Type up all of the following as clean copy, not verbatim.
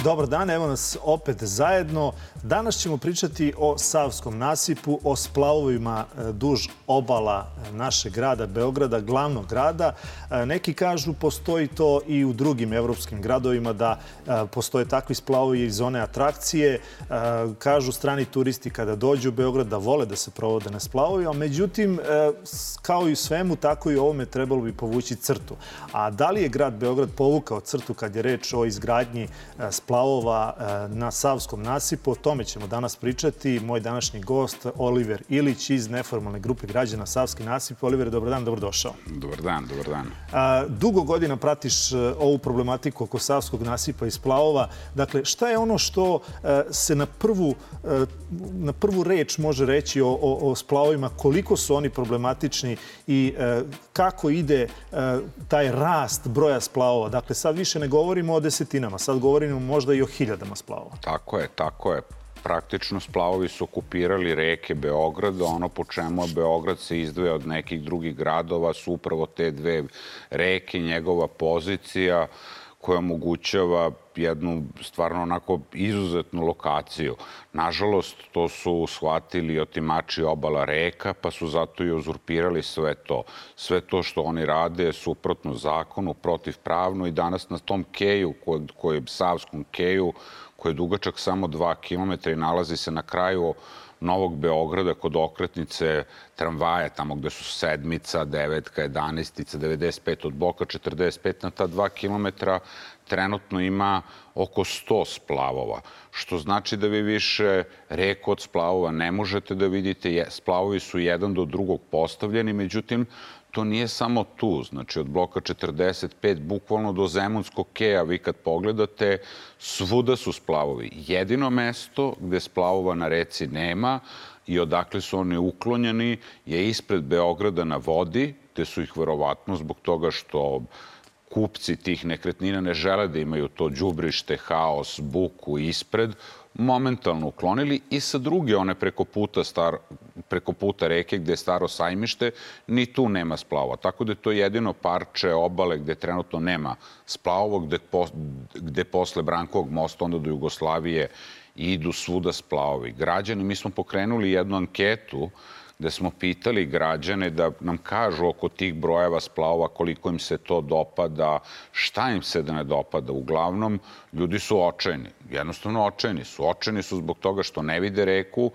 Dobar dan, evo nas opet zajedno. Danas ćemo pričati o Savskom nasipu, o splavovima duž obala našeg grada Beograda, glavnog grada. Neki kažu postoji to i u drugim evropskim gradovima, da postoje takvi splavovi i zone atrakcije. Kažu strani turisti kada dođu u Beograd da vole da se provode na splavovima. Međutim, kao i u svemu, tako i u ovome trebalo bi povući crtu. A da li je grad Beograd povukao crtu kad je reč o izgradnji splavova na Savskom nasipu? O tome ćemo danas pričati. Moj današnji gost, Oliver Ilić iz neformalne grupe građana Savski nasip. Oliver, dobar dan, dobrodošao. Dobar dan, dobar dan. Dugo godina pratiš ovu problematiku oko Savskog nasipa i splavova. Dakle, šta je ono što se na prvu reč može reći o splavovima? Koliko su oni problematični i kako ide taj rast broja splavova? Dakle, sad više ne govorimo o desetinama, sad govorimo možda i o hiljadama splavova. Tako je, tako je. Praktično splavovi su okupirali reke Beograda. Ono po čemu Beograd se izdvaja od nekih drugih gradova su upravo te dve reke, njegova pozicija koja omogućava jednu stvarno onako izuzetnu lokaciju. Nažalost, to su shvatili otimači obala reka, pa su zato i uzurpirali sve to. Sve to što oni rade je suprotno zakonu, protivpravno i danas na tom keju, Savskom keju, koji je dugačak samo 2 kilometra i nalazi se na kraju Novog Beograda kod okretnice tramvaja, tamo gde su sedmica, 9, 11, 95 od Boka, 45 na ta 2 kilometra, trenutno ima oko 100 splavova, što znači da vi više reku od splavova ne možete da vidite. Splavovi su jedan do drugog postavljeni, međutim, to nije samo tu. Znači, od Bloka 45, bukvalno do Zemunskog keja, vi kad pogledate, svuda su splavovi. Jedino mesto gde splavova na reci nema i odakle su oni uklonjeni je ispred Beograda na vodi, gde su ih verovatno zbog toga što kupci tih nekretnina ne žele da imaju to đubrište, haos, buku ispred, momentalno uklonili i sa druge one preko puta reke gde je staro sajmište, ni tu nema splavova. Tako da je to jedino parče obale gde trenutno nema splavova, gde posle Brankovog mosta onda do Jugoslavije idu svuda splavovi. Građani, mi smo pokrenuli jednu anketu gde smo pitali građane da nam kažu oko tih brojeva splavova koliko im se to dopada, šta im se da ne dopada. Uglavnom, ljudi su očajni. Jednostavno očajni su. Očajni su zbog toga što ne vide reku,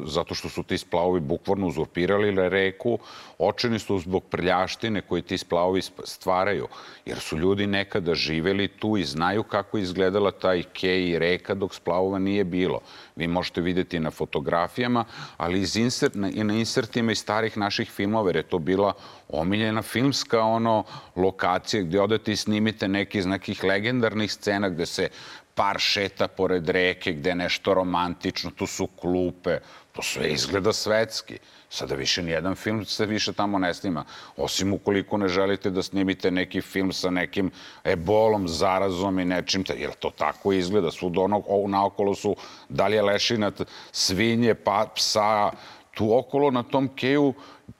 zato što su ti splavovi bukvalno uzurpirali reku. Očajni su zbog prljaštine koje ti splavovi stvaraju. Jer su ljudi nekada živeli tu i znaju kako je izgledala taj kej i reka dok splavova nije bilo. Vi možete vidjeti na fotografijama, ali i na insertima iz starih naših filmova, jer je to bila omiljena filmska lokacija gdje odete i snimite neki iz nekih legendarnih scena gde se par šeta pored reke, gde je nešto romantično, tu su klupe, to sve izgleda svetski. Sada više nijedan film se više tamo ne snima, osim ukoliko ne želite da snimite neki film sa nekim ebolom, zarazom i nečim, jer to tako izgleda. Svuda naokolo su da li je lešinat svinje, psa. Tu okolo na tom keju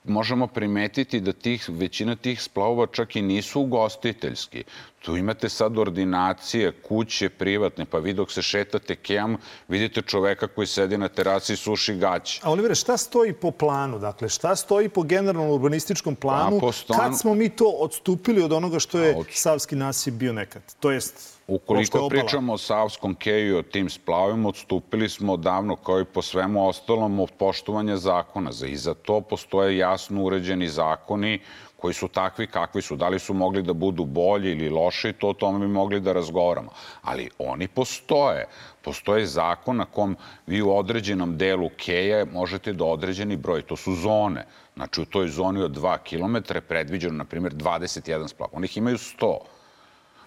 možemo primetiti da većina tih splavova čak i nisu ugostiteljski. Tu imate sad ordinacije, kuće privatne, pa vi dok se šetate kejom, vidite čoveka koji sedi na terasi i suši gaće. A Olivere, šta stoji po planu? Dakle, šta stoji po generalnom urbanističkom planu? Kad smo mi to odstupili od onoga što je Savski nasip bio nekad? To jest... Ukoliko pričamo o Savskom keju i o tim splavima, odstupili smo odavno, kao i po svemu ostalom, od poštovanja zakona. I za to postoje jasno uređeni zakoni koji su takvi kakvi su. Da li su mogli da budu bolji ili loši, to o tome bi mogli da razgovaramo. Ali oni postoje. Postoje zakon na kom vi u određenom delu keja možete do određeni broj. To su zone. Znači, u toj zoni od 2 kilometra je predviđeno, na primjer, 21 splav. Onih imaju 100.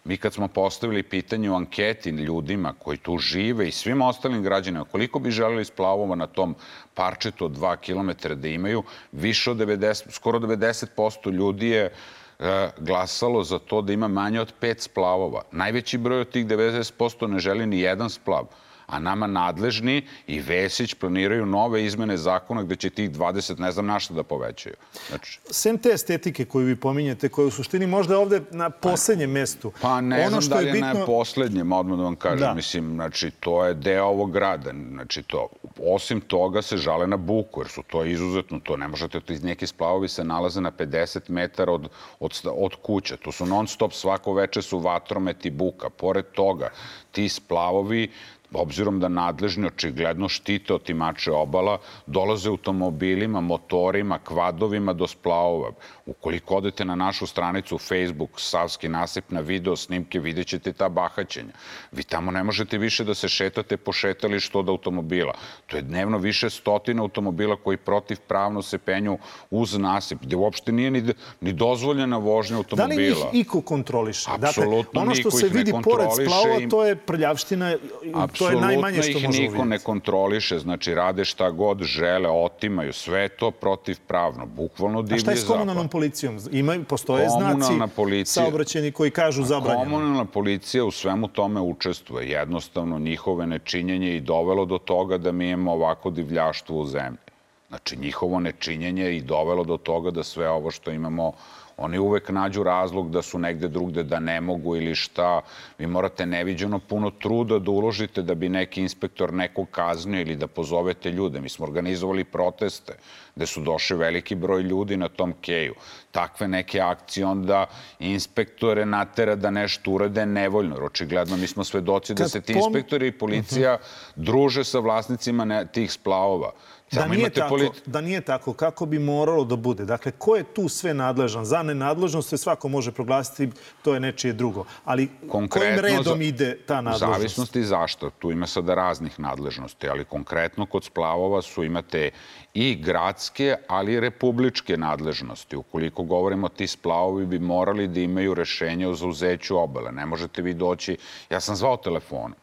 Mi kad smo postavili pitanje u anketi ljudima koji tu žive i svim ostalim građanima koliko bi želeli splavova na tom parčetu od 2 kilometra da imaju, više od 90, skoro 90% ljudi je glasalo za to da ima manje od 5 splavova. Najveći broj od tih 90% ne želi ni jedan splav. A nama nadležni i Vesić planiraju nove izmene zakona gde će tih 20 ne znam na šta da povećaju. Znači, sem te estetike koju vi pominjete, koja je u suštini možda ovde na poslednjem mestu. pa ne znam da li je na poslednjem, odmah da vam kažem. Mislim, znači, to je deo ovog grada. Znači, to, osim toga se žale na buku, jer su to izuzetno, to ne možete, neki splavovi se nalaze na 50 metara od kuća. To su non stop, svako veče su vatromet i buka. Pored toga, ti splavovi, obzirom da nadležni očigledno štite otimače obala, dolaze automobilima, motorima, kvadovima do splavova. Ukoliko odete na našu stranicu Facebook, Savski nasip, na video snimke, vidjet ćete ta bahaćenja. Vi tamo ne možete više da se šetate po šetalištu od automobila. To je dnevno više stotina automobila koji protivpravno se penju uz nasip, gde uopšte nije ni dozvoljena vožnja automobila. Da li njih iko kontroliše? Apsolutno ono što se vidi pored splavova, to je prljavština. To je najmanje što možemo vidjeti. Apsolutno ih niko ne kontroliše, znači rade šta god žele, otimaju sve to protivpravno, bukvalno divlji zapad. A šta je s komunalnom policijom? Postoje znaci saobraćajni koji kažu zabranjeno. Komunalna policija u svemu tome učestvuje. Jednostavno, njihove nečinjenje i dovelo do toga da mi imamo ovako divljaštvo u zemlji. Znači, njihovo nečinjenje i dovelo do toga da sve ovo što imamo, oni uvek nađu razlog da su negde drugde, da ne mogu ili šta. Vi morate neviđeno puno truda da uložite da bi neki inspektor nekog kaznio ili da pozovete ljude. Mi smo organizovali proteste gde su došli veliki broj ljudi na tom keju. Takve neke akcije onda inspektore natera da nešto urade nevoljno. Jer očigledno mi smo svedoci da se ti inspektori i policija druže sa vlasnicima tih splavova. Da nije tako, kako bi moralo da bude? Dakle, ko je tu sve nadležan? Za nenadležnost se svako može proglasiti, to je nečije drugo. Ali kojim redom ide ta nadležnost? Zavisnosti zašto. Tu ima sada raznih nadležnosti, ali konkretno kod splavova imate i gradske, ali i republičke nadležnosti. Ukoliko govorimo, ti splavovi bi morali da imaju rešenje o zauzeću obale. Ne možete vi doći... Ja sam zvao telefonom.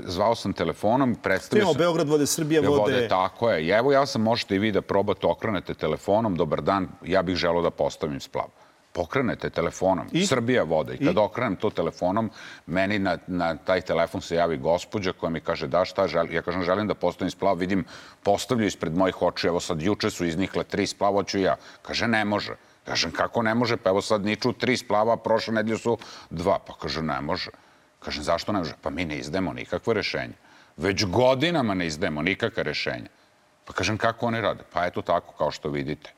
Zvao sam telefonom, predstavio sam... Beograd vode, Srbija vode... Tako je. I evo ja sam, možete i vi da probate, okrenete telefonom, dobar dan, ja bih želeo da postavim splav. Pokrenete telefonom, Srbija vode. I kad okrenem to telefonom, meni na taj telefon se javi gospođa koja mi kaže da šta želim. Ja kažem želim da postavim splav, vidim postavljaju ispred mojih očiju, evo sad juče su iznikle 3 splava, hoću ja. Kaže ne može. Kažem kako ne može, pa evo sad niču 3 splava, prošle nedelje su 2. Pa kaže ne može. Kažem, zašto ne može? Pa mi ne izdajemo nikakve rešenje. Već godinama ne izdajemo nikakve rešenja. Pa kažem, kako oni rade? Pa eto tako, kao što vidite.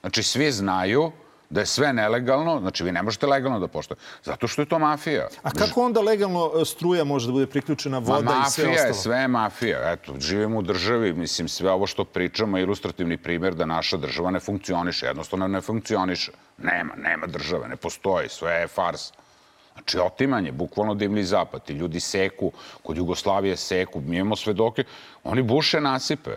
Znači, svi znaju da je sve nelegalno, znači vi ne možete legalno da poštovate. Zato što je to mafija. A kako onda legalno struja može da bude priključena, voda i sve ostalo? Mafija je, sve je mafija. Eto, živimo u državi, mislim, sve ovo što pričamo je ilustrativni primjer da naša država ne funkcioniše. Jednostavno ne funkcioniše. Nema države, ne postoji, sve je farsa. Znači, otimanje, bukvalno divlji zapad. Ti ljudi seku, kod Jugoslavije seku, mi imamo svedoke, oni buše nasipe.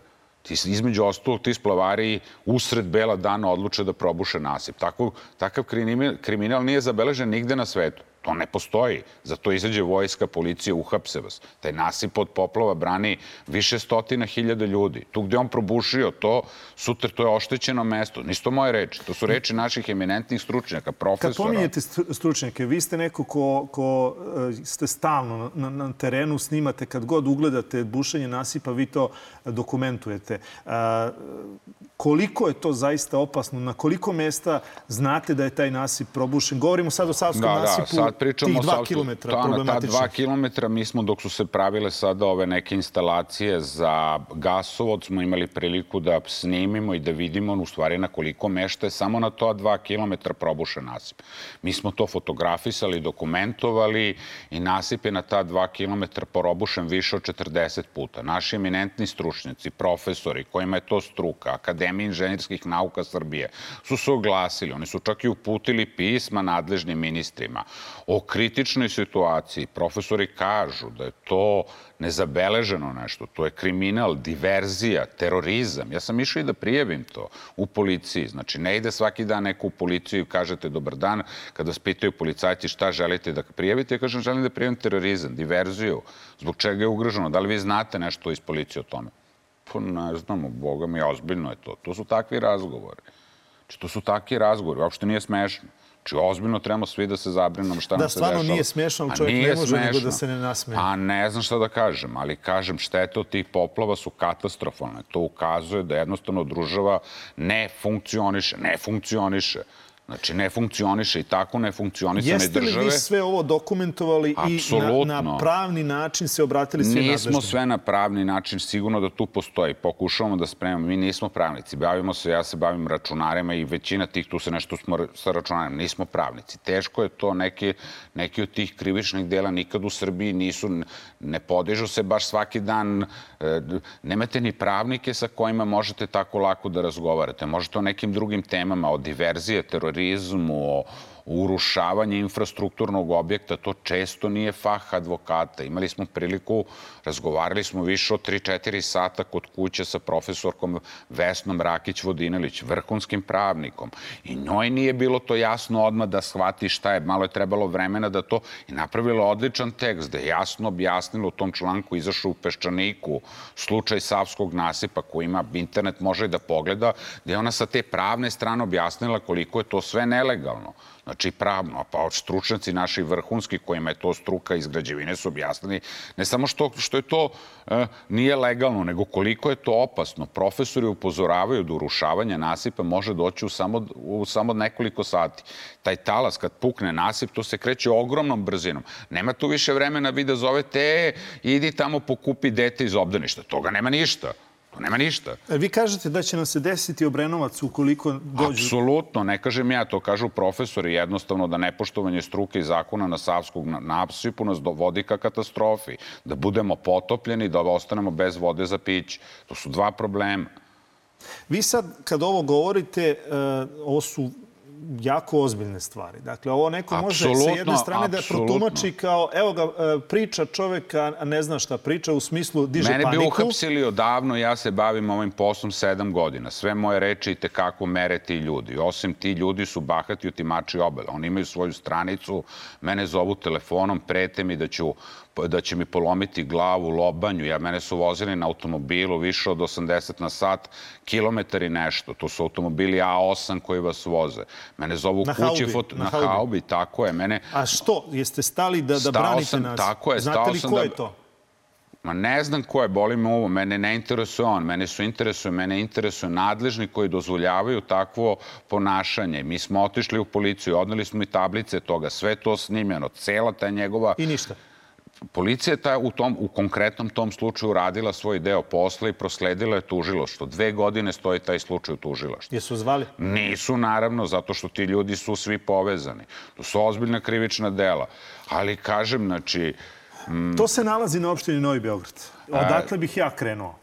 Između ostalog, ti splavari usred bela dana odluče da probuše nasip. Takav kriminal nije zabeležen nigde na svetu. To ne postoji. Zato izađe vojska, policija, uhapse vas. Taj nasip od poplava brani više stotina hiljada ljudi. Tu gde on probušio to, sutra to je oštećeno mesto. Nisu to moje reči. To su reči naših eminentnih stručnjaka, profesora. Kad pominjete stručnjake, vi ste neko ko ste stalno na terenu, snimate, kad god ugledate bušenje nasipa, vi to dokumentujete. Koliko je to zaista opasno? Na koliko mesta znate da je taj nasip probušen? Govorimo sad o Savskom nasipu. Pričamo tih 2 kilometra problematičnih. Na ta 2 kilometra mi smo, dok su se pravile sada ove neke instalacije za gasovod, smo imali priliku da snimimo i da vidimo u stvari na koliko mešta je samo na to 2 kilometra probušen nasip. Mi smo to fotografisali, dokumentovali i nasip je na ta 2 kilometra probušen više od 40 puta. Naši eminentni stručnjaci, profesori, kojima je to struka, Akademija inženjerskih nauka Srbije, su se oglasili. Oni su čak i uputili pisma nadležnim ministrima o kritičnoj situaciji. Profesori kažu da je to nezabeleženo nešto. To je kriminal, diverzija, terorizam. Ja sam išao i da prijavim to u policiji. Znači, ne ide svaki dan neko u policiju i kažete dobar dan, kada vas pitaju policajci šta želite da prijavite, ja kažem želim da prijavim terorizam, diverziju. Zbog čega je ugroženo? Da li vi znate nešto iz policije o tome? Pa ne znamo, Boga mi, ozbiljno je to. To su takvi razgovori. Znači, to su takvi razgovori, uopšte nije smešno. Znači, ozbiljno trebamo svi da se zabrinemo šta nam se dešava. Da, stvarno nije smešno, ali čovjek ne može nego da se ne nasmeje. Pa ne znam šta da kažem, ali kažem, štete od tih poplava su katastrofalne. To ukazuje da jednostavno država ne funkcioniše. Znači, ne funkcioniše i tako ne funkcionisane države. Jeste li vi sve ovo dokumentovali i na pravni način se obratili svi nadležni? Nismo sve na pravni način, sigurno da tu postoji. Pokušavamo da spremamo. Mi nismo pravnici. Ja se bavim računarima i većina tih tu se nešto smo sa računarima. Nismo pravnici. Teško je to. Neki od tih krivičnih dela nikad u Srbiji ne podižu se baš svaki dan. Nemate ni pravnike sa kojima možete tako lako da razgovarate. Možete o nekim drugim temama, o diverzije, terorizmu, o urušavanju infrastrukturnog objekta. To često nije fah advokata. Imali smo priliku, razgovarali smo više od 3-4 sata kod kuće sa profesorkom Vesnom Rakić-Vodinelić, vrhunskim pravnikom. I njoj nije bilo to jasno odmah da shvati šta je. Malo je trebalo vremena da to... I napravila odličan tekst da je jasno objasnila u tom članku, izašao u Peščaniku, slučaj Savskog nasipa koji ima internet, može da pogleda, gde je ona sa te pravne strane objasnila koliko je to sve nelegalno. Znači pravno, pa stručnjaci naši vrhunski kojima je to struka iz građevine su objasnili ne samo što je to nije legalno, nego koliko je to opasno. Profesori upozoravaju da urušavanje nasipa može doći u samo nekoliko sati. Taj talas kad pukne nasip, to se kreće ogromnom brzinom. Nema tu više vremena vi da zovete, idi tamo pokupi dete iz obdaništa. Toga nema ništa. Nema ništa. Vi kažete da će nam se desiti Obrenovac ukoliko dođu... Apsolutno, ne kažem ja, to kažu profesori, jednostavno da nepoštovanje struke i zakona na Savskog nasipu nas dovodi ka katastrofi, da budemo potopljeni, da ostanemo bez vode za piće. To su dva problema. Vi sad, kad ovo govorite, ovo su jako ozbiljne stvari. Dakle, ovo neko može sa jedne strane da protumači kao, evo ga, priča čovek, a ne zna šta priča, u smislu diže paniku. Mene bi uhapsili odavno, ja se bavim ovim poslom 7 godina. Sve moje reči i tekako mere ti ljudi. Osim ti ljudi su bahati otimači obela. Oni imaju svoju stranicu, mene zovu telefonom, prete mi da će mi polomiti glavu, lobanju. Mene su vozili na automobilu više od 80 na sat, kilometar i nešto. To su automobili A8 koji vas voze. Mene zovu kući na Haubi, tako je. A što? Jeste stali da branite nas? Tako je. Znate li ko je to? Ma ne znam ko je, boli me ovo. Mene ne interesuje on. Mene interesuje nadležni koji dozvoljavaju takvo ponašanje. Mi smo otišli u policiju, odneli smo i tablice toga. Sve to snimljeno. Cela ta njegova... I ništa. Policija je u konkretnom tom slučaju radila svoj deo posla i prosledila je tužilaštvo. 2 godine stoji taj slučaj u tužilaštvu. Jesu zvali? Nisu, naravno, zato što ti ljudi su svi povezani. To su ozbiljna krivična dela. Ali, kažem, znači... To se nalazi na opštini Novi Beograd. Odakle bih ja krenuo?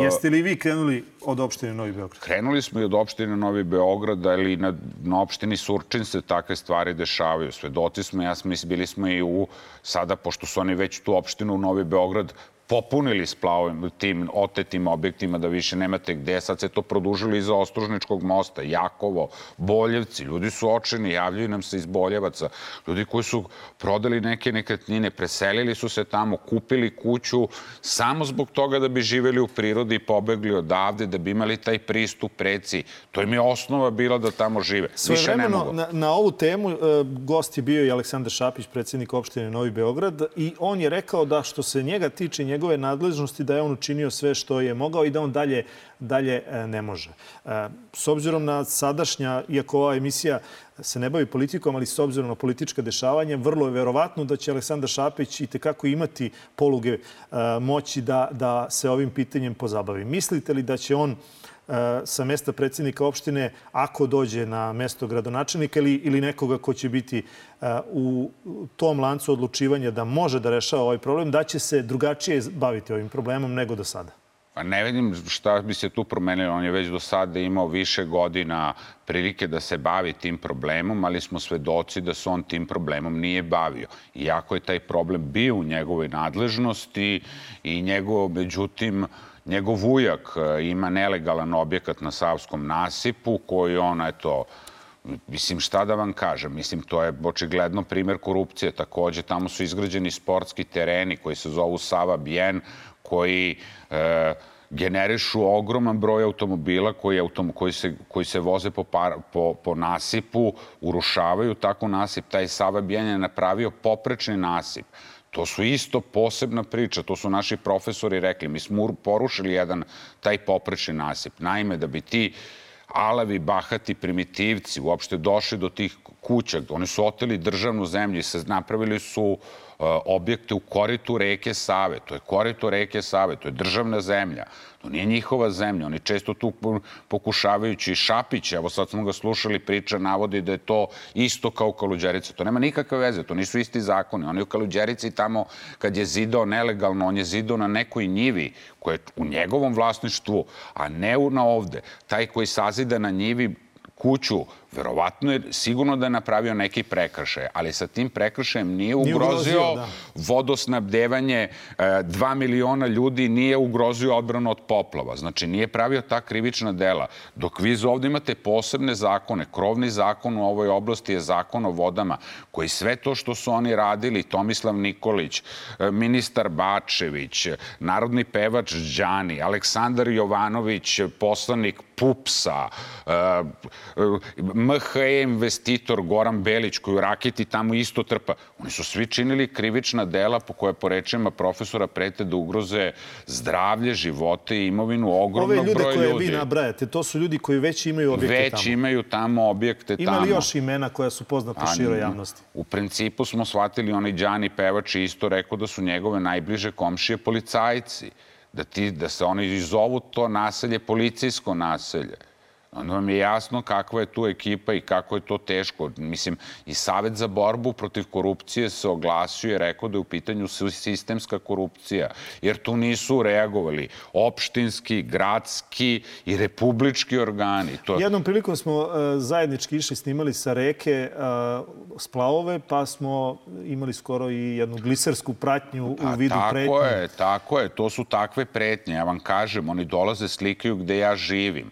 Jeste li vi krenuli od opštine Novi Beograd? Krenuli smo i od opštine Novi Beograd, ali na opštini Surčin se takve stvari dešavaju. Svedoci smo, bili smo i sada, pošto su oni već tu opštinu Novi Beograd popunili splavovim tim otetim objektima da više nemate gde. Sad se to produžilo iza Ostružničkog mosta, Jakovo, Boljevci. Ljudi su očajni, javljaju nam se iz Boljevaca. Ljudi koji su prodali neke nekretnine, preselili su se tamo, kupili kuću samo zbog toga da bi živeli u prirodi i pobegli odavde, da bi imali taj pristup reci. To im je osnova bila da tamo žive. Svojevremeno na ovu temu gost je bio i Aleksandar Šapić, predsjednik opštine Novi Beograd, i on je rekao da što se njega tiče njegove nadležnosti, da je on učinio sve što je mogao i da on dalje ne može. S obzirom na sadašnja, iako ova emisija se ne bavi politikom, ali s obzirom na politička dešavanja, vrlo je verovatno da će Aleksandar Šapić itekako imati poluge moći da se ovim pitanjem pozabavi. Mislite li da će on sa mesta predsjednika opštine, ako dođe na mesto gradonačelnika ili nekoga ko će biti u tom lancu odlučivanja da može da rešava ovaj problem, da će se drugačije baviti ovim problemom nego do sada? Pa ne vidim šta bi se tu promenilo. On je već do sada imao više godina prilike da se bavi tim problemom, ali smo svedoci da se on tim problemom nije bavio. Iako je taj problem bio u njegovoj nadležnosti i međutim, njegov ujak ima nelegalan objekat na Savskom nasipu koji on, mislim, šta da vam kažem, mislim, to je očigledno primjer korupcije. Takođe, tamo su izgrađeni sportski tereni koji se zovu Sava Bien, koji generišu ogroman broj automobila koji se voze po nasipu, urušavaju tako nasip. Taj Sava Bijeljan je napravio poprečni nasip. To su isto posebna priča, to su naši profesori rekli. Mi smo porušili jedan taj poprečni nasip. Naime, da bi ti alavi, bahati, primitivci uopšte došli do tih kuća. Oni su oteli državnu zemlju i napravili su objekte u koritu reke Save. To je korito reke Save, to je državna zemlja. To nije njihova zemlja. Oni često tu pokušavajući Šapić, evo sad smo ga slušali, priča, navodi da je to isto kao u Kaluđerici. To nema nikakve veze, to nisu isti zakoni. Oni u Kaluđerici tamo kad je zidao nelegalno, on je zidao na nekoj njivi koja je u njegovom vlasništvu, a ne na ovde. Taj koji sazida na njivi kuću, verovatno je sigurno da je napravio neki prekršaj, ali sa tim prekršajem nije ugrozio vodosnabdevanje 2 miliona ljudi, nije ugrozio odbranu od poplava. Znači, nije pravio ta krivična dela. Dok vi ovdje imate posebne zakone, krovni zakon u ovoj oblasti je zakon o vodama, koji sve to što su oni radili, Tomislav Nikolić, ministar Bačević, narodni pevač Đani, Aleksandar Jovanović, poslanik PUPS-a, MHE investitor Goran Belić, koji u raketi tamo isto trpa. Oni su svi činili krivična dela po koje, po rečima profesora, prete da ugroze zdravlje, živote i imovinu ogromnog broja ljudi. Ove ljude koje vi nabrajate, to su ljudi koji već imaju objekte tamo. Već imaju tamo objekte tamo. Ima li još imena koja su poznata široj javnosti? U principu smo shvatili, onaj Đani pevač isto rekao da su njegove najbliže komšije policajci. Da se oni zovu to naselje policijsko naselje. Onda vam je jasno kakva je tu ekipa i kako je to teško. Mislim, i Savet za borbu protiv korupcije se oglasio i rekao da je u pitanju sistemska korupcija, jer tu nisu reagovali opštinski, gradski i republički organi. Jednom prilikom smo zajednički išli, snimali sa reke splavove, pa smo imali skoro i jednu glisersku pratnju u vidu pretnje. Tako je. To su takve pretnje. Ja vam kažem, oni dolaze, slikaju gde ja živim.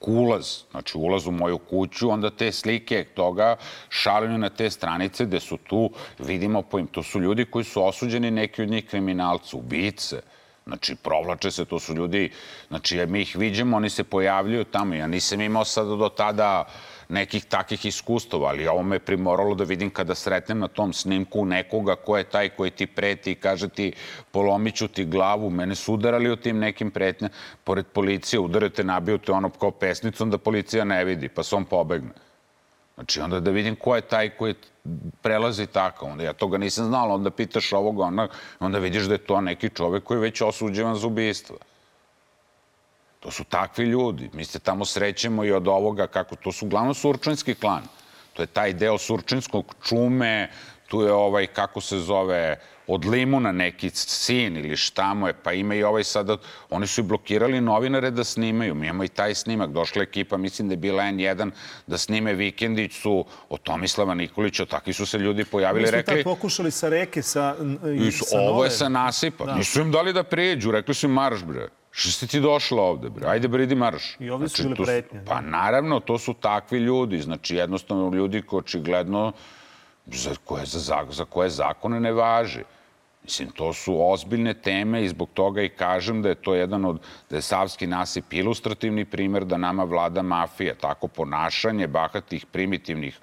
Ulaz, znači ulaz u moju kuću, onda te slike toga šalju na te stranice gde su tu, vidimo, to su ljudi koji su osuđeni, neki od njih kriminalci, ubice. Znači, provlače se, to su ljudi, znači, mi ih viđemo, oni se pojavljuju tamo. Ja nisam imao sad do tada nekih takih iskustava, ali ovo me primoralo da vidim kada sretnem na tom snimku nekoga ko je taj koji ti preti i kaže ti polomit ću ti glavu. Mene su udarali u tim nekim pretnjama. Pored policije udarete, nabiju te ono kao pesnicom da policija ne vidi, pa se on pobegne. Znači, onda da vidim ko je taj koji prelazi tako. Onda ja toga nisam znala, onda pitaš ovoga, onda vidiš da je to neki čovek koji je već osuđivan za ubistvo. To su takvi ljudi. Mi se tamo srećemo i od ovoga, kako to su uglavnom surčinski klan. To je taj deo surčinskog čume, tu je kako se zove, od Limuna neki sin ili šta mu je, pa ima i sada, oni su i blokirali novinare da snimaju. Mi imamo i taj snimak. Došla ekipa, mislim da je bila N1, da snime Vikendicu od Tomislava Nikolića. Takvi su se ljudi pojavili i rekli... Mi smo tako pokušali sa reke, sa ovo je sa nasipa. Nisu im dali da prijeđu, rekli su im marš, bre. Što si ti došla ovde, bre? Ajde, bre, idi marš. I ovdje su bili pretnje. Pa naravno, to su takvi ljudi. Znači, jednostavno ljudi koji očigledno za koje zakone ne važi. Mislim, to su ozbiljne teme i zbog toga i kažem da je to da je Savski nasip ilustrativni primer da nama vlada mafija. Tako ponašanje bahatih, primitivnih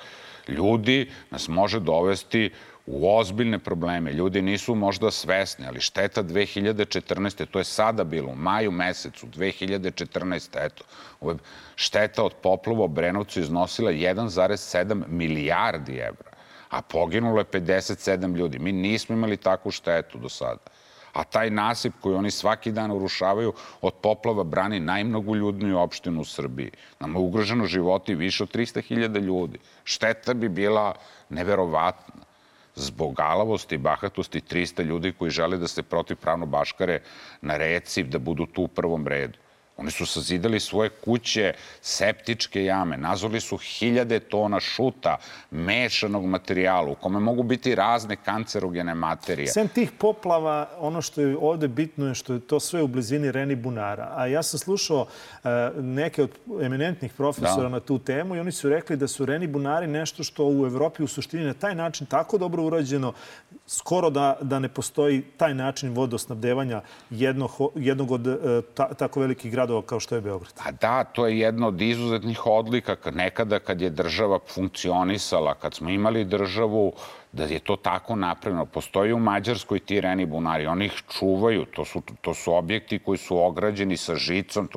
ljudi nas može dovesti u ozbiljne probleme. Ljudi nisu možda svesni, ali šteta 2014. To je sada bilo, u maju mesecu 2014. Eto, šteta od poplava u Obrenovcu iznosila 1,7 milijardi evra, a poginulo je 57 ljudi. Mi nismo imali takvu štetu do sada. A taj nasip koji oni svaki dan urušavaju od poplava brani najmnogoljudniju opštinu u Srbiji. Nama je ugroženo životi više od 300.000 ljudi. Šteta bi bila neverovatna. Zbog alavosti i bahatosti 300 ljudi koji žele da se protivpravno baškare na reci, da budu tu u prvom redu. Oni su sazidali svoje kuće, septičke jame, nazvali su 1000 tona šuta, mešanog materijala, u kome mogu biti razne kancerogene materije. Sem tih poplava, ono što je ovde bitno je što je to sve u blizini Reni bunara. A ja sam slušao neke od eminentnih profesora na tu temu i oni su rekli da su Reni bunari nešto što u Evropi u suštini na taj način tako dobro urađeno, skoro da ne postoji taj način vodosnabdevanja jednog od tako velikih gradova kao što je Beograd. A da, to je jedna od izuzetnih odlika. Nekada kad je država funkcionisala, kad smo imali državu, da je to tako napravljeno. Postoji u Mađarskoj ti Reni bunari, oni ih čuvaju. To su objekti koji su ograđeni sa žicom.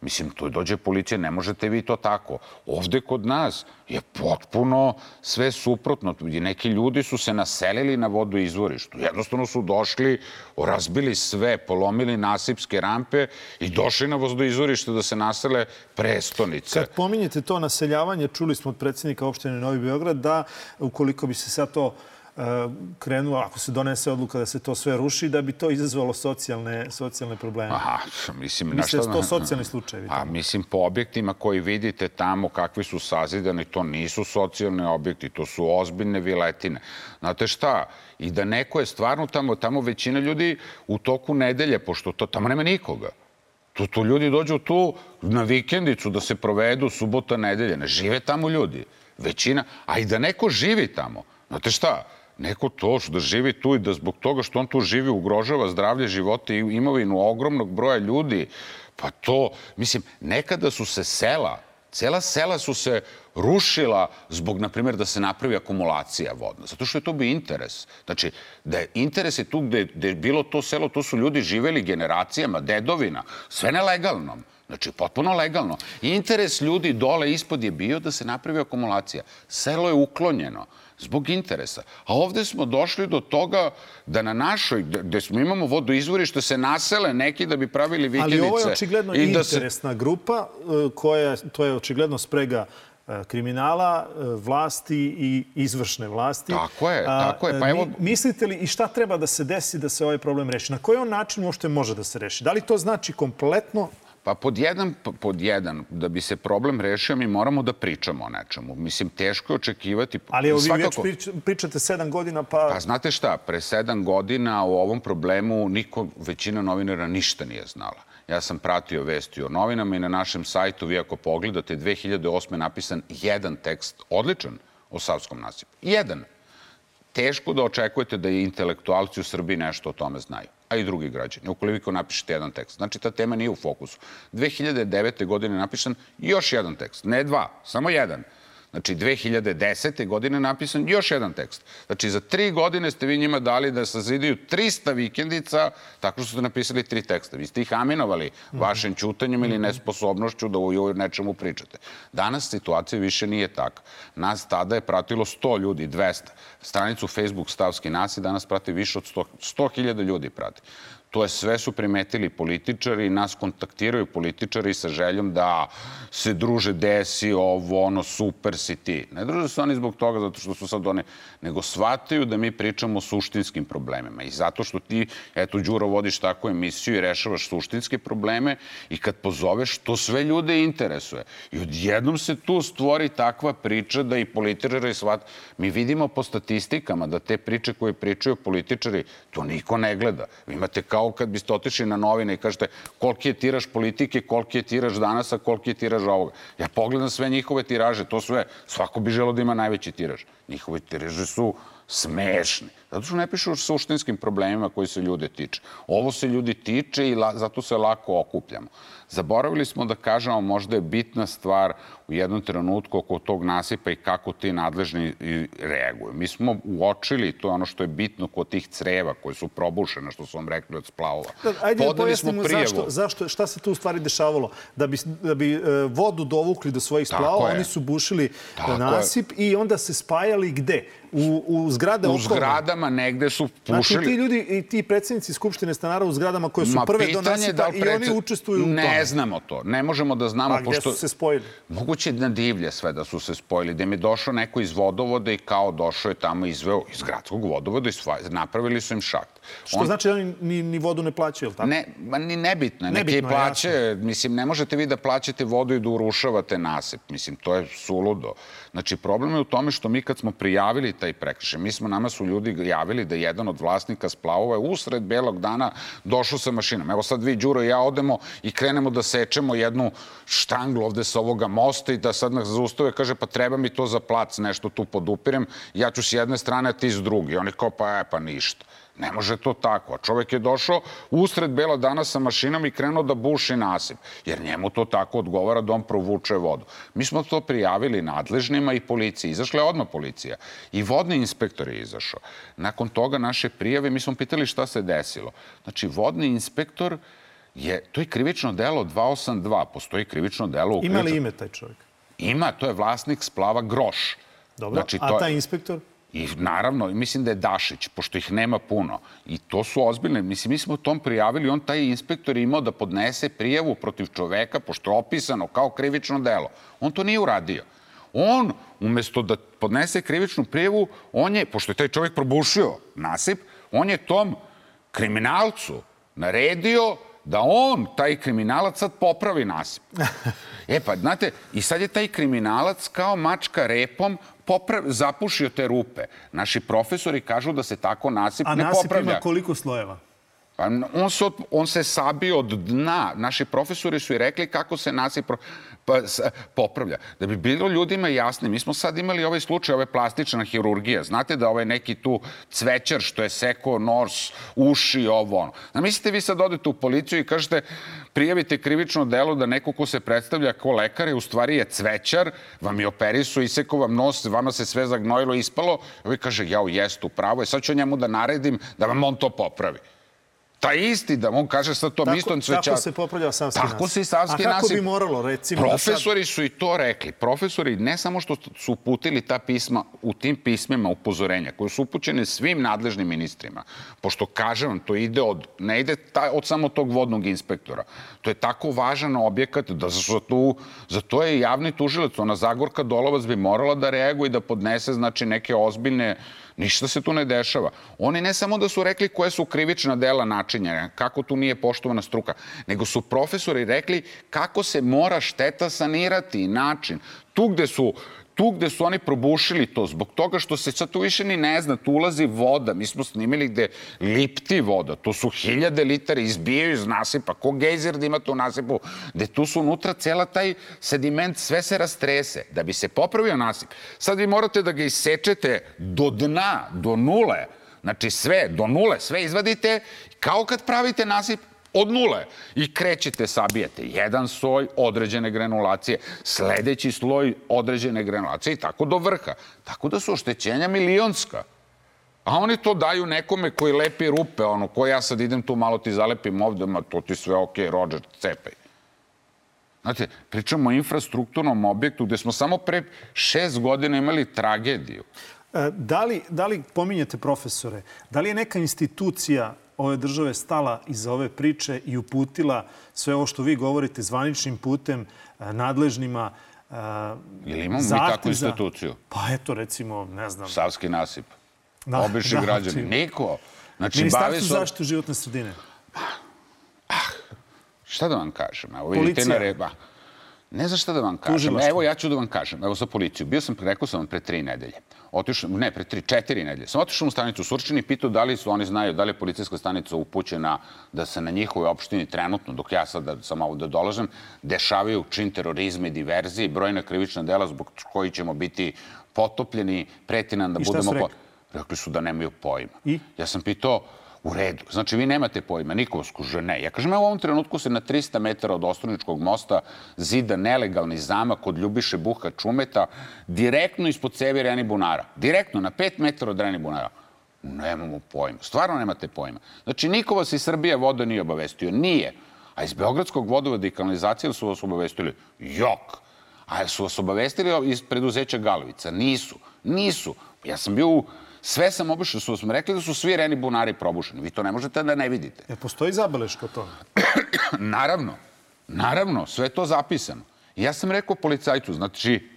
Mislim, tu dođe policija, ne možete vi to tako. Ovde kod nas je potpuno sve suprotno. Neki ljudi su se naselili na vodoizvorištu. Jednostavno su došli, razbili sve, polomili nasipske rampe i došli na vodoizvorište da se nasele prestonice. Kad pominjete to naseljavanje, čuli smo od predsjednika opštine Novi Beograd da ukoliko bi se sad to krenulo, ako se donese odluka da se to sve ruši, da bi to izazvalo socijalne probleme. Aha, mislim... Misle da su to socijalni slučajevi? A mislim, po objektima koji vidite tamo kakvi su sazidani, to nisu socijalni objekti, to su ozbiljne viletine. Znate šta? I da neko je stvarno tamo većina ljudi u toku nedelje, pošto tamo nema nikoga. Tu ljudi dođu tu na vikendicu da se provedu subota, nedelje. Ne žive tamo ljudi. Većina. A i da neko živi tamo. Znate šta? Neko to da živi tu i da zbog toga što on tu živi ugrožava zdravlje, života i imovinu ogromnog broja ljudi. Pa to, mislim, nekada su se cela sela su se rušila zbog, na primjer, da se napravi akumulacija vodna. Zato što je to bio interes. Znači, da je interes je tu gde je bilo to selo, tu su ljudi živeli generacijama, dedovina, sve nelegalno. Znači, potpuno legalno. Interes ljudi dole ispod je bio da se napravi akumulacija. Selo je uklonjeno zbog interesa. A ovde smo došli do toga da na našoj, gde imamo vodoizvorište, se nasele neki da bi pravili vikendice. Ali ovo je očigledno interesna grupa, to je očigledno sprega kriminala, vlasti i izvršne vlasti. Tako je. Pa evo... Mislite li i šta treba da se desi da se ovaj problem reši? Na koji on način uopšte može da se reši? Da li to znači kompletno... Pa pod jedan, da bi se problem rešio, mi moramo da pričamo o nečemu. Mislim, teško je očekivati... Ali evo vi već pričate 7 godina, pa... Pa znate šta, pre 7 godina o ovom problemu većina novinara ništa nije znala. Ja sam pratio vesti o novinama i na našem sajtu, vi ako pogledate, 2008. napisan jedan tekst, odličan, o Savskom nasipu. Jedan. Teško da očekujete da i intelektualci u Srbiji nešto o tome znaju, a i drugi građani, ukoliko napišete jedan tekst. Znači, ta tema nije u fokusu. 2009. godine napisan još jedan tekst, ne 2, samo jedan. Znači, 2010. godine napisan još jedan tekst. Znači, za 3 godine ste vi njima dali da sazidaju 300 vikendica tako što ste napisali 3 teksta. Vi ste ih aminovali vašim ćutanjem ili nesposobnošću da u nečemu pričate. Danas situacija više nije taka. Nas tada je pratilo 100 ljudi, 200. Stranicu Facebook Savski nasip danas prati više od 100.000 ljudi prati. To je sve su primetili političari i nas kontaktiraju političari sa željom da se druže, desi ovo, ono, super si ti. Ne druže se oni zbog toga zato što su sad oni, nego shvataju da mi pričamo o suštinskim problemima. I zato što ti, eto, Đuro, vodiš takvu emisiju i rešavaš suštinske probleme i kad pozoveš, to sve ljude interesuje. I odjednom se tu stvori takva priča da i političari shvat. Mi vidimo po statistikama da te priče koje pričaju političari, to niko ne gleda. Vi imate kao kad biste otišli na novine i kažete koliki je tiraž politike, koliki je tiraž Danasa, koliki je tiraž ovoga. Ja pogledam sve njihove tiraže, to sve, svako bi želeo da ima najveći tiraž. Njihove tiraže su smešni. Zato što ne pišu o suštinskim problemima koji se ljude tiče. Ovo se ljudi tiče i zato se lako okupljamo. Zaboravili smo da kažemo, možda je bitna stvar u jednom trenutku oko tog nasipa i kako ti nadležni reaguju. Mi smo uočili, to je ono što je bitno kod tih creva koje su probušene, što su vam rekli od splavova. Ajde da pojasnimo šta se tu u stvari dešavalo. Da bi vodu dovukli do svojih splavova, oni su bušili nasip i onda se spajali gde? U zgrade okolne. U zgradama negde su pušili. Znači ti ljudi i ti predsjednici Skupštine stanara u zgradama koje su prve do nasipa i oni učestvuju u tome. Ne znamo to. Ne možemo da znamo. A gde su se spojili? Moguće na divlje sve da su se spojili. Da mi je došao neko iz vodovoda i kao došao je tamo izveo iz gradskog vodovoda i napravili su im šakt. Što znači da oni ni vodu ne plaćaju, ili tako? Ne, ni nebitno. Neki plaće, mislim, ne možete vi da plaćate vodu i da urušavate nasip. Mislim, to je suludo. Znači, problem je u tome što mi kad smo prijavili taj prekršaj, nama su ljudi javili da jedan od vlasnika splavova je usred belog dana došao sa mašinom. Evo sad vi, Đuro i ja, odemo i krenemo da sečemo jednu štanglu ovde sa ovoga mosta i da sad nas zaustave, kaže, pa treba mi to za plac, nešto tu podupirem, ja ću s jedne strane, a ti s druge. I oni kao, pa ništa. Ne može to tako. A čovjek je došao usred bela dana sa mašinom i krenuo da buši nasip. Jer njemu to tako odgovara da on provuče vodu. Mi smo to prijavili nadležnima i policiji. Izašla je odmah policija. I vodni inspektor je izašao. Nakon toga naše prijave, mi smo pitali šta se desilo. Znači, vodni inspektor to je krivično delo 282. Postoji krivično delo... Ima li ime taj čovjek? Ima, to je vlasnik splava Groš. Dobro, a taj inspektor? I naravno, mislim da je Dašić, pošto ih nema puno. I to su ozbiljne. Mislim, mi smo tom prijavili, taj inspektor je imao da podnese prijavu protiv čoveka, pošto je opisano kao krivično delo. On to nije uradio. On, umjesto da podnese krivičnu prijavu, pošto je taj čovek probušio nasip, on je tom kriminalcu naredio da on, taj kriminalac, sad popravi nasip. Pa, znate, i sad je taj kriminalac kao mačka repom zapušio te rupe. Naši profesori kažu da se tako nasip ne popravlja. A nasip ima koliko slojeva? On se sabio od dna. Naši profesori su i rekli kako se nasip popravlja. Da bi bilo ljudima jasni, mi smo sad imali ovaj slučaj, ove plastična hirurgija. Znate da ovaj neki tu cvećar što je sekao nos, uši, ovo ono. Mislite vi sad odete u policiju i kažete prijavite krivično delo da neko ko se predstavlja kao lekar u stvari je cvećar, vam je operisu, isekao vam nos, vama se sve zagnojilo, ispalo. Ovi kaže, jeste, upravo je, sad ću njemu da naredim da vam on to popravi. Taj isti, da on kaže sad to mistom cvećar. Tako se popravlja savski nasip. Tako se i savski nasip. A kako bi moralo, recimo? Profesori su i to rekli. Profesori ne samo što su uputili ta pisma, u tim pismima upozorenja, koje su upućene svim nadležnim ministrima, pošto, kažem vam, to ne ide od samo tog vodnog inspektora. To je tako važan objekat da za to je javni tužilac. Ona Zagorka Dolovac bi morala da reaguje i da podnese, znači, neke ozbiljne... Ništa se tu ne dešava. Oni ne samo da su rekli koje su krivična dela načinjena, kako tu nije poštovana struka, nego su profesori rekli kako se mora šteta sanirati i način. Tu gde su oni probušili to, zbog toga što se sad tu više ni ne zna, tu ulazi voda. Mi smo snimili gde lipti voda. To su 1000 litara, izbijaju iz nasipa. Ko gejzer da ima to u nasipu? Gde tu su unutra cela taj sediment, sve se rastrese. Da bi se popravio nasip. Sad vi morate da ga isečete do dna, do nule. Znači sve, do nule, sve izvadite. Kao kad pravite nasip, od nule. I krećete, sabijete jedan sloj određene granulacije, sledeći sloj određene granulacije i tako do vrha. Tako da su oštećenja milionska. A oni to daju nekome koji lepi rupe, koji ja sad idem tu, malo ti zalepim ovde, ma to ti sve okej, Rođer, cepaj. Znate, pričamo o infrastrukturnom objektu gde smo samo pre 6 godina imali tragediju. Da li pominjete profesore, da li je neka institucija ove države stala iza ove priče i uputila sve ovo što vi govorite zvaničnim putem, nadležnima, ili imamo mi takvu instituciju? Pa eto, recimo, ne znam... Savski nasip. Obični građani. Niko. Ministarstvo zaštite životne sredine. Šta da vam kažem? Policija. Ne znam šta da vam kažem. Evo, ja ću da vam kažem. Evo, za policiju. Bio sam, rekao sam vam, pre 3 nedelje. Ne, pre 4 nedelje. Sam otišao u stanicu u Surčini i pitao da li su oni znaju, da li je policijska stanica upućena da se na njihovoj opštini trenutno, dok ja sad sam ovdje dolažem, dešavaju čin terorizma i diverzije i brojna krivična dela zbog koji ćemo biti potopljeni, preti nam da budemo... I šta su rekli? Rekli su da nemaju pojma. I? Ja sam pitao, u redu. Znači, vi nemate pojma, niko skuže, ne. Ja kažem, u ovom trenutku se na 300 metara od Ostroničkog mosta zida nelegalni zamak od Ljubiše Buha Čumeta, direktno ispod cevi Reni Bunara. Direktno, na 5 metara od Reni Bunara. Nemamo pojma. Stvarno nemate pojma. Znači, niko vas iz Srbije voda nije obavestio. Nije. A iz Beogradskog vodovoda i kanalizacije su vas obavestili. Jok. A su vas obavestili iz preduzeća Galovica? Nisu. Ja sam bio Sve sam obišao, su smo rekli da su svi reni bunari probušeni. Vi to ne možete da ne vidite. Postoji zabeleška o tome? Naravno, sve je to zapisano. Ja sam rekao policajcu, znači,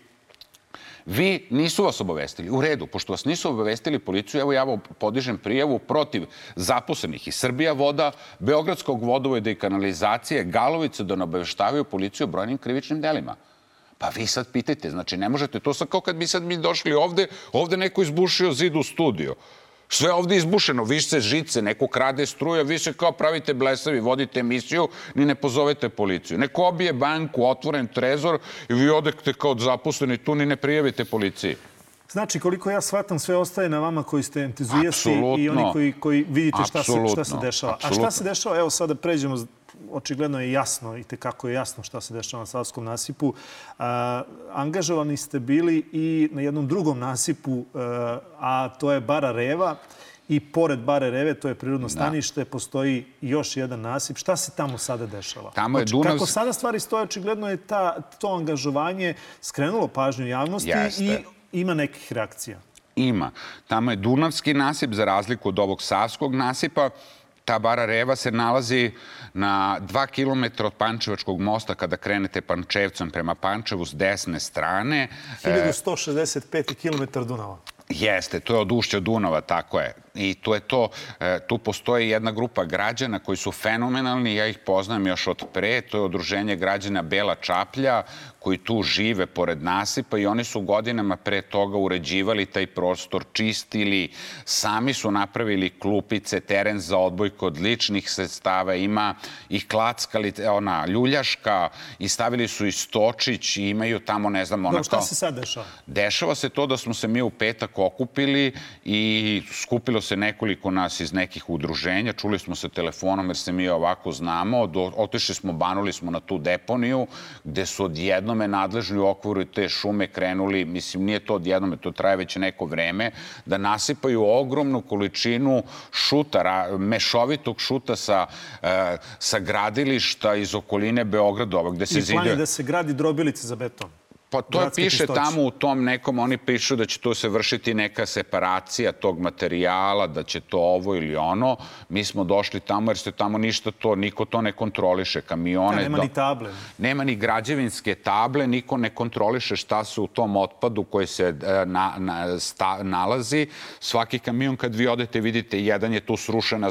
vi nisu vas obavestili. U redu, pošto vas nisu obavestili policiju, evo ja podižem prijavu protiv zaposlenih iz Srbija voda, Beogradskog vodovoda i kanalizacije, Galovice da ne obaveštavaju policiju o brojnim krivičnim delima. Pa vi sad pitajte, znači ne možete, to sad kao kad bi sad mi došli ovde neko izbušio zid u studio. Sve ovde izbušeno, više žice, neko krade struja, vi se kao pravite blesavi, vodite emisiju, ni ne pozovete policiju. Neko obije banku, otvoren trezor i vi odete kao zaposleni tu, ni ne prijavite policiji. Znači, koliko ja shvatam, sve ostaje na vama koji ste entuzijasti i oni koji vidite šta se dešava. A šta se dešava? Evo sada pređemo, očigledno je jasno i tekako je jasno šta se dešava na Savskom nasipu. Angažovani ste bili i na jednom drugom nasipu, a to je Bara Reva. I pored Bare Reve, to je prirodno stanište, postoji još jedan nasip. Šta se tamo sada dešava? Kako sada stvari stoje, očigledno je to angažovanje skrenulo pažnju javnosti i ima nekih reakcija. Ima. Tamo je Dunavski nasip, za razliku od ovog Savskog nasipa. Ta Bara Reva se nalazi na 2 kilometra od Pančevačkog mosta kada krenete Pančevcem prema Pančevu s desne strane. 1165 kilometar Dunava. Jeste, to je od ušća Dunava, tako je. I to je to, tu postoji jedna grupa građana koji su fenomenalni, ja ih poznam još od pre, to je Udruženje građana Bela Čaplja, koji tu žive pored nasipa i oni su godinama pre toga uređivali taj prostor, čistili, sami su napravili klupice, teren za odbojku od ličnih sredstava, ima i klackali, ona ljuljaška, i stavili su i stočić i imaju tamo, ne znam, onako... Šta se sad dešava? Dešava se to da smo se mi u petak okupili i skupilo se nekoliko nas iz nekih udruženja, čuli smo se telefonom jer se mi ovako znamo, otišli smo, banuli smo na tu deponiju gde su odjednome nadležni u okviru te šume krenuli, mislim nije to odjednome, to traje već neko vreme, da nasipaju ogromnu količinu šuta, mešovitog šuta sa gradilišta iz okoline Beograda. I plan je da se gradi drobilice za beton. Pa to piše tamo u tom nekom, oni pišu da će tu se vršiti neka separacija tog materijala, da će to ovo ili ono. Mi smo došli tamo jer se tamo ništa to, niko to ne kontroliše. Kamione... Nema ni table. Nema ni građevinske table, niko ne kontroliše šta se u tom otpadu koji se nalazi. Svaki kamion kad vi odete vidite, jedan je tu srušena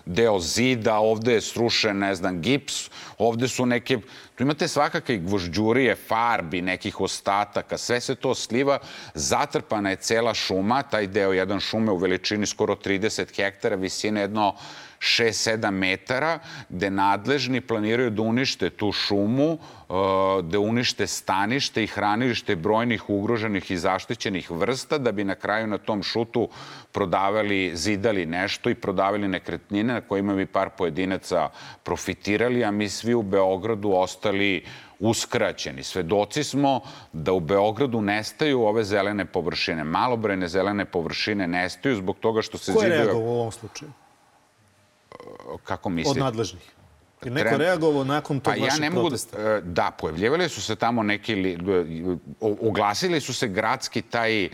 deo zida, ovde je srušen, ne znam, gips, ovde su neke... Tu imate svakakve gvožđurije, farbi, nekih ostataka, sve se to sliva, zatrpana je cela šuma, taj deo jedan šume u veličini skoro 30 hektara, visine jedno 6-7 metara, gde nadležni planiraju da unište tu šumu, da unište stanište i hranilište brojnih ugroženih i zaštićenih vrsta, da bi na kraju na tom šutu prodavali, zidali nešto i prodavali nekretnine na kojima bi par pojedinaca profitirali, a mi svi u Beogradu ostali uskraćeni. Svedoci smo da u Beogradu nestaju ove zelene površine. Malobrojne zelene površine nestaju zbog toga što se zidaju... Ko je reagovao u ovom slučaju? Kako mislite? Od nadležnih. Je neko reagovao nakon tog vašeg protesta? Da, pojavljivali su se tamo neki... Oglasili su se gradski taj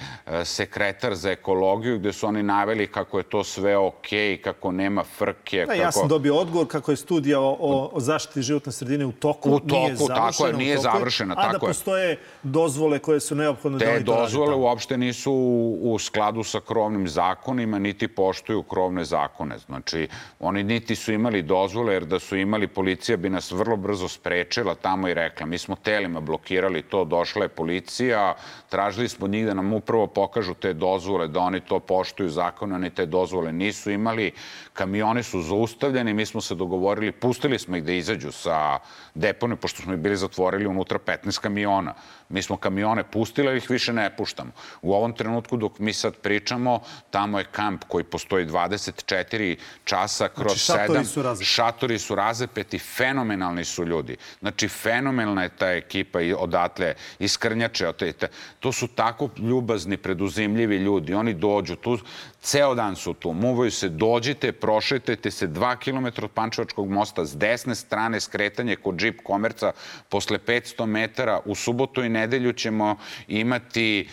sekretar za ekologiju gde su oni naveli kako je to sve okej, kako nema frke. Ja sam dobio odgovor kako je studija o zaštiti životne sredine u toku. U toku, tako je, nije završena. A da postoje dozvole koje su neophodne da oni to rade. Te dozvole uopšte nisu u skladu sa krovnim zakonima, niti poštuju krovne zakone. Znači, oni niti su imali dozvole, jer da su imali, policija bi nas vrlo brzo sprečila tamo i rekla. Mi smo telima blokirali to, došla je policija, tražili smo njih da nam upravo pokažu te dozvole, da oni to poštuju zakone, oni te dozvole nisu imali. Kamioni su zaustavljeni, mi smo se dogovorili, pustili smo ih da izađu sa depone, pošto smo ih bili zatvorili unutra 15 kamiona. Mi smo kamione pustili, ali ih više ne puštamo. U ovom trenutku dok mi sad pričamo, tamo je kamp koji postoji 24 časa kroz 7. Šatori su različiti. Šatori su različiti. razapeti, fenomenalni su ljudi. Znači, fenomenalna je ta ekipa i odatle, iz Krnjače. To su tako ljubazni, preduzimljivi ljudi. Oni dođu tu, ceo dan su tu, muvaju se, dođite, prošetajte se 2 km od Pančevačkog mosta, s desne strane skretanje kod Džip Komerca, posle 500 metara. U subotu i nedelju ćemo imati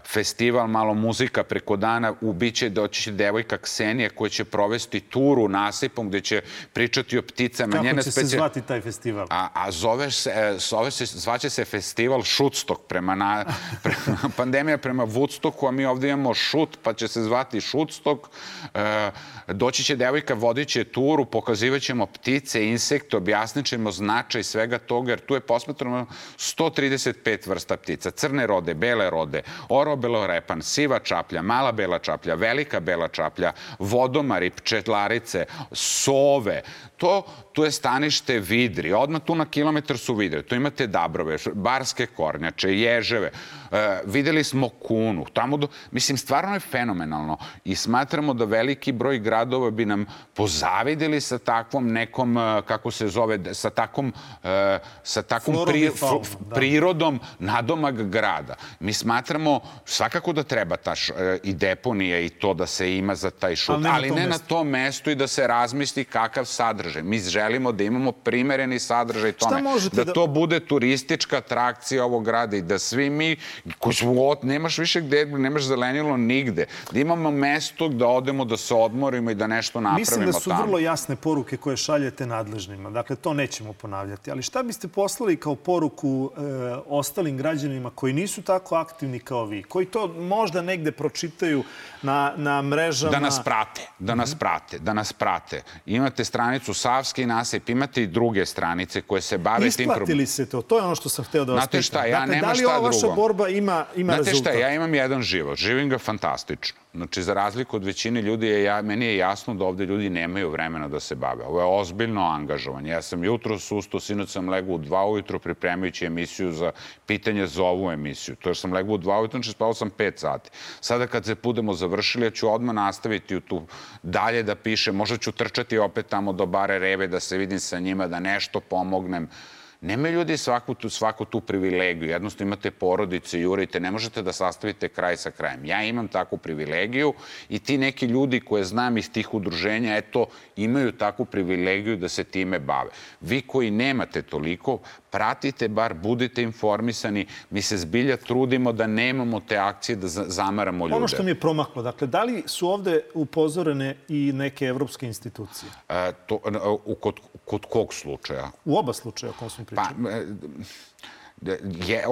festival Malo muzika preko dana. Biće doći devojka Ksenija koja će provesti turu nasipom gde će pričati o pticama. Kako će se zvati taj festival? Zvaće se festival Šutstok, pandemija prema Woodstocku, a mi ovdje imamo šut, pa će se zvati Šutstok. Doći će devojka, vodit će turu, pokazivat ćemo ptice, insekte, objasnit ćemo značaj svega toga, jer tu je posmatrano 135 vrsta ptica. Crne rode, bele rode, orobelorepan, siva čaplja, mala bela čaplja, velika bela čaplja, vodomari, pčelarice, sove. Tu je stanište vidri. Odmah tu na kilometar su vidre. Tu imate dabrove, barske kornjače, ježeve. Videli smo kunu. Mislim, stvarno je fenomenalno. I smatramo da veliki broj gradova bi nam pozavideli sa takvom nekom, kako se zove, sa takvom prirodom nadomak grada. Mi smatramo svakako da treba i deponija i to da se ima za taj šut, ali ne na tom mestu i da se razmisli kakav sadržaj. Mi želimo da imamo primereni sadržaj tome, da to bude turistička atrakcija ovog grada i da svi mi, nemaš više gde, nemaš zelenilo nigde, da imamo mesto da odemo, da se odmorimo i da nešto napravimo tamo. Mislim da su vrlo jasne poruke koje šaljete nadležnima. Dakle, to nećemo ponavljati. Ali šta biste poslali kao poruku ostalim građanima koji nisu tako aktivni kao vi, koji to možda negde pročitaju na mrežama? Da nas prate. Imate stranicu Savski nasip, imate i druge stranice koje se bave tim problemom. Isplatili se to? To je ono što sam hteo da vas pitam. Znate šta, ja nema šta drugo. Da li ova vaša borba ima rezultat? Znate šta, ja imam jedan život. Živim ga fantastično. Znači, za razliku od većine ljudi, meni je jasno da ovde ljudi nemaju vremena da se bave. Ovo je ozbiljno angažovanje. Ja sam jutro sustao, sinoć sam legao u 2 ujutro pripremajući emisiju za pitanje za ovu emisiju. To jer sam legao u 2 ujutro, znači spavao sam 5 sati. Sada kad se budemo završili, ja ću odmah nastaviti tu dalje da pišem. Možda ću trčati opet tamo do Bare Reve da se vidim sa njima, da nešto pomognem. Nemaju ljudi svaku tu privilegiju. Jednostavno imate porodice, jurite, ne možete da sastavite kraj sa krajem. Ja imam takvu privilegiju i ti neki ljudi koje znam iz tih udruženja, imaju takvu privilegiju da se time bave. Vi koji nemate toliko, pratite bar, budite informisani. Mi se zbilja trudimo da nemamo te akcije, da zamaramo ljude. Ono što mi je promaklo, dakle, da li su ovde upozorene i neke evropske institucije? Kod kog slučaja? U oba slučaja o kom smo pričali.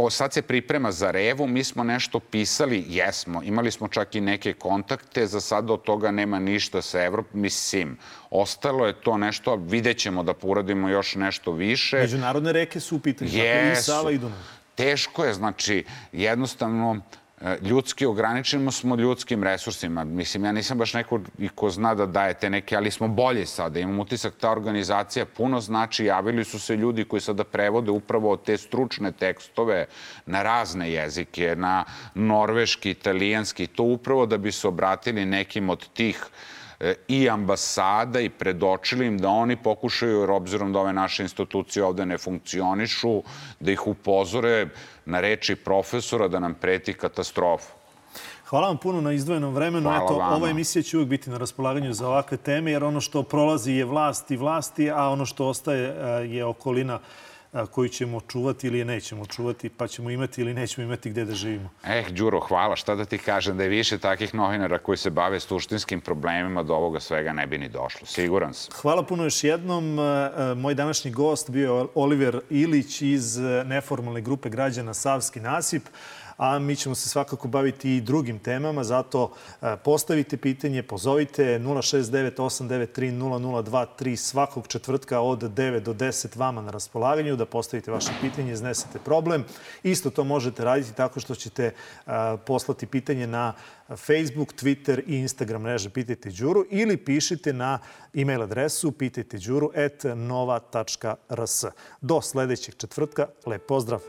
Sad se priprema za Revu, mi smo nešto pisali, jesmo, imali smo čak i neke kontakte, za sada od toga nema ništa sa Evropom, mislim, ostalo je to nešto, vidjet ćemo da uradimo još nešto više. Međunarodne reke su u pitanju, dakle i Sava i Dunav. Teško je, znači, jednostavno, ljudski ograničeno smo ljudskim resursima. Mislim, ja nisam baš neko ko zna da daje te neke, ali smo bolje sada. Imam utisak, ta organizacija puno znači. Javili su se ljudi koji sada prevode upravo te stručne tekstove na razne jezike, na norveški, italijanski, to upravo da bi se obratili nekim od tih i ambasada i predočili im da oni pokušaju, jer obzirom da ove naše institucije ovde ne funkcionišu, da ih upozore na reči profesora da nam preti katastrofa. Hvala vam puno na izdvojenom vremenu. Ova emisija će uvijek biti na raspolaganju za ovakve teme, jer ono što prolazi je vlast i vlasti, a ono što ostaje je okolina koju ćemo čuvati ili je nećemo čuvati, pa ćemo imati ili nećemo imati gde da živimo. Đuro, hvala. Šta da ti kažem, da je više takih novinara koji se bave suštinskim problemima do ovoga svega ne bi ni došlo. Siguran sam. Hvala puno još jednom. Moj današnji gost bio je Oliver Ilić iz neformalne grupe građana Savski nasip. A mi ćemo se svakako baviti i drugim temama, zato postavite pitanje, pozovite 069-893-0023 svakog četvrtka od 9 do 10 vama na raspolaganju da postavite vaše pitanje, iznesete problem. Isto to možete raditi tako što ćete poslati pitanje na Facebook, Twitter i Instagram mreže Pitajte Đuru ili pišite na e-mail adresu pitajteđuru@nova.rs. Do sledećeg četvrtka, lep pozdrav!